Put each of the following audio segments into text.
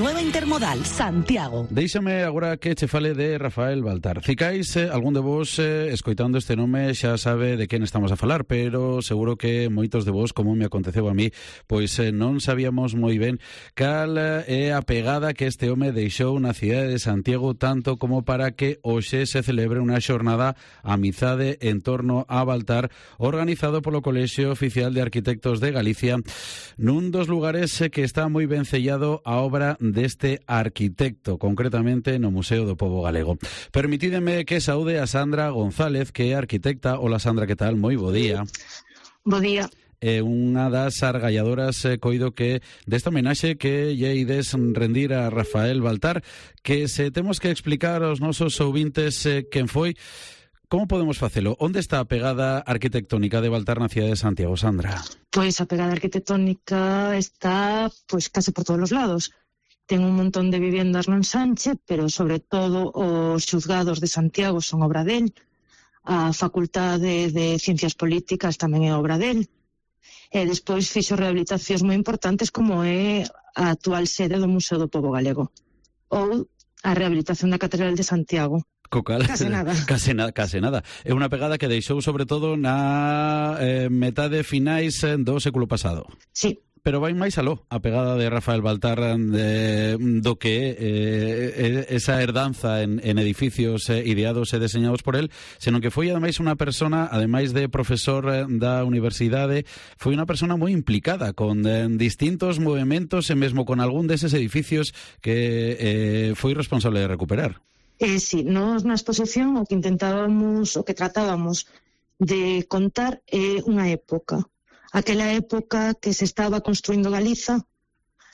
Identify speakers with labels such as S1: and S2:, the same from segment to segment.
S1: nueva intermodal Santiago.
S2: Déixame agora que che fale de Rafael Baltar. Cicais, algún de vos escoitando este nome xa sabe de quen estamos a falar, pero seguro que moitos de vos, como me aconteceu a mí, pois non sabíamos moi ben cal é a pegada que este home deixou na cidade de Santiago, tanto como para que hoxe se celebre unha xornada Amizade en torno a Baltar, organizado polo Colexio Oficial de Arquitectos de Galicia, nun dos lugares que está moi ben sellado a obra deste arquitecto, concretamente no Museo do Pobo Galego. Permitídeme que saúde a Sandra González, que é arquitecta. Hola Sandra, que tal? Moi bo día.
S3: Bo día.
S2: Unha das argalladoras coido que desta homenaxe que lle ides rendir a Rafael Baltar, que se temos que explicar aos nosos ouvintes quen foi. Como podemos facelo? Onde está a pegada arquitectónica de Baltar na cidade de Santiago, Sandra?
S3: Pois a pegada arquitectónica está case por todos os lados. Ten un montón de viviendas no ensanche, pero sobre todo os xuzgados de Santiago son obra del. A Facultade de Ciencias Políticas tamén é obra del. E despois fixo rehabilitacións moi importantes como é a actual sede do Museo do Pobo Galego ou a rehabilitación da Catedral de Santiago. Case nada. É unha pegada que deixou sobre todo na metade finais do século pasado. Sí.
S2: Pero vai máis aló a pegada de Rafael Baltar do que esa herdanza en edificios ideados e deseñados por él, senón que foi ademais unha persona, ademais de profesor da universidade, foi unha persona moi implicada con distintos movementos e mesmo con algún deses edificios que foi responsable de recuperar.
S3: Sí, nós na exposición o que tratábamos de contar é unha época. Aquela época que se estaba construindo Galiza,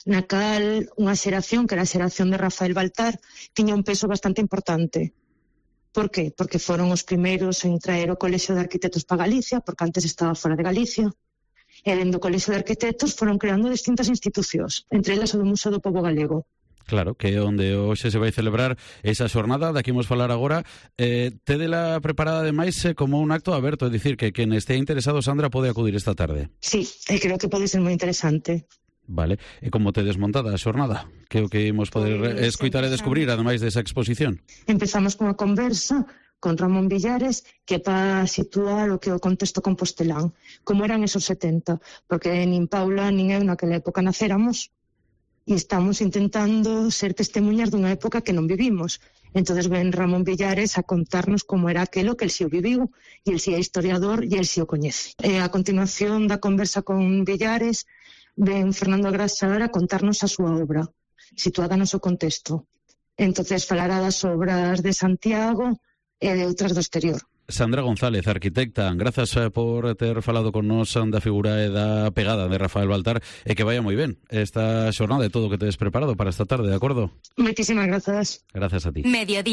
S3: na cal unha xeración, que era a xeración de Rafael Baltar, tiña un peso bastante importante. Por qué? Porque foron os primeiros en traer o Colexio de Arquitectos para Galicia, porque antes estaba fora de Galicia, e dentro do Colexio de Arquitectos foron creando distintas institucións, entre elas o do Museo do Pobo Galego.
S2: Claro, que é onde hoxe se vai celebrar esa xornada, daqui imos falar agora. Tédela preparada ademais como un acto aberto, é dicir, que quen este interesado, Sandra, pode acudir esta tarde.
S3: Sí, creo que pode ser moi interesante.
S2: Vale, e como tedes montada a xornada? Que o que imos poder escoitar e descubrir, ademais desa exposición?
S3: Empezamos con a conversa con Ramón Villares, que para situar o que o contexto compostelán, como eran esos 70, porque nin Paula nin eu naquela época nacéramos, e estamos intentando ser testemunhas dunha época que non vivimos. Entonces ven Ramón Villares a contarnos como era aquelo que el si o viviu, e el si é historiador e el si o coñece. E a continuación da conversa con Villares ven Fernando Agrasar a contarnos a súa obra, situada no seu contexto. Entonces falará das obras de Santiago e de outras do exterior.
S2: Sandra González, arquitecta, grazas por ter falado con nos da figura e da pegada de Rafael Baltar, e que vaya moi ben esta xornada e todo o que tedes preparado para esta tarde, de acordo?
S3: Moitísimas grazas.
S2: Gracias a ti.
S1: Mediodía.